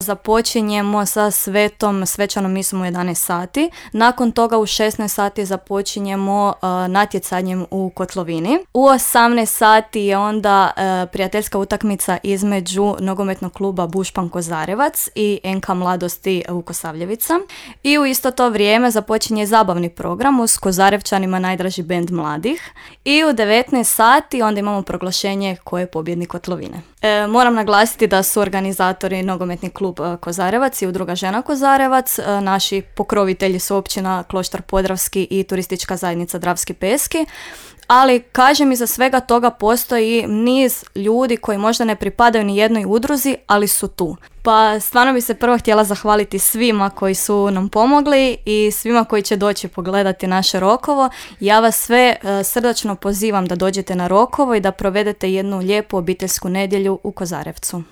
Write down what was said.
započinjemo sa svečanom misom u 11 sati. Nakon toga u 16 sati započinjemo natjecanjem u kotlovini. U 18 sati je onda prijateljska utakmica između nogometnog kluba Bušpan Kozarevac i NK Mladosti Vukosavljevica. I u isto to vrijeme započinje zabavni program uz Kozarevčanima najdraži bend mladih. I u 19 sati onda imamo proglašenje ko je pobjednik kotlovine. Moram naglasiti da su organizatori nogometni klub Kozarevac i udruga Žena Kozarevac. Naši pokrovitelji su općina Kloštar Podravski i turistička zajednica Dravski Peski. Ali, kažem, iza svega toga postoji niz ljudi koji možda ne pripadaju ni jednoj udruzi, ali su tu. Pa stvarno bi se prvo htjela zahvaliti svima koji su nam pomogli i svima koji će doći pogledati naše Rokovo. Ja vas sve srdačno pozivam da dođete na Rokovo i da provedete jednu lijepu obiteljsku nedjelju u Kozarevcu.